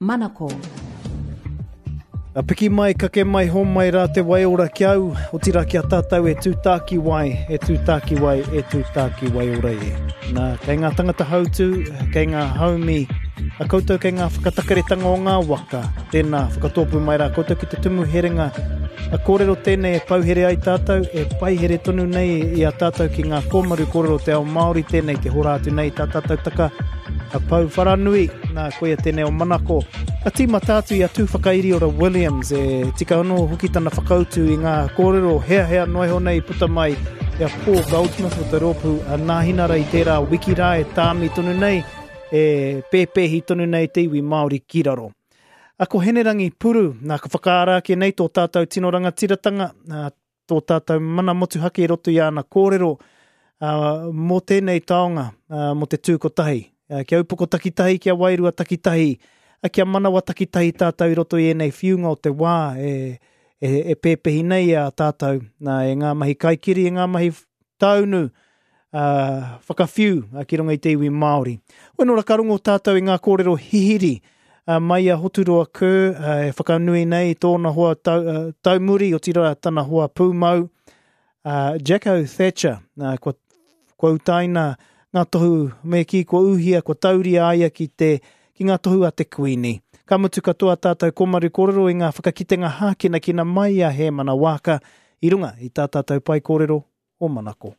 Manako. A piki mai, kake mai, homai rā te waiora ki au, otirā ki a tātou e tū tākiwai, e tū tākiwai, e tū tākiwai ora e. Nā, kei ngā tangata hautū, kei ngā haumi, a koutou kei ngā whakatakeretanga o ngā waka, tēnā, whakatōpū mai rā koutou ki te tumu herenga. A kōrero tēnei e pouhere ai tātou, e paihere tonu nei i a tātou ki ngā kōmaru kōrero o te ao Māori tēnei te hora atu nei tā tātou taka A Pou Wharanui, nā, koia tēnei o Manako. Ka tīmata atu i a Tūwhakairiora Williams, e tika anō hoki tana whakautu i ngā kōrero heahea noa iho nei i puta mai i a Paul Goldsmith o te rōpū a Nāhinara i tērā wiki rā e tāmi tonu nei, e pēpēhi tonu nei te iwi Māori ki raro. A ko Henerangi Puru, nā, ka whakaara ake nei tō tātou tino rangatiratanga, nā, tō tātou mana motuhake i roto i āna kōrero mō tēnei taonga, mō te tū kotahi. Kia upoko takitahi, kia wairua takitahi, kia manawa takitahi tātou i roto i ēnei whiunga o te wā e, e, e pēpehi nei a tātou nā, e ngā mahi kaikiri, e ngā mahi taunu, uh, whakawhiu uh, ki runga i te iwi Māori. Weno ra ka rongo tātou i ngā kōrero hihiri uh, mai a Hoturoa Kerr uh, e whakanui nei i tōna hoa tau, uh, taumuri, otirā tana hoa pūmau, uh, Jacko Thatcher, uh, kua, kua utaina ngā tohu me kī kua uhia, kua tauria a ia ki te ki ngā tohu a te Kuini. Ka mutu katoa tātou komaru kōrero i ngā whakakitenga hākinakina mai a Hēmana Waaka i runga i tā tātou pae kōrero o Manako.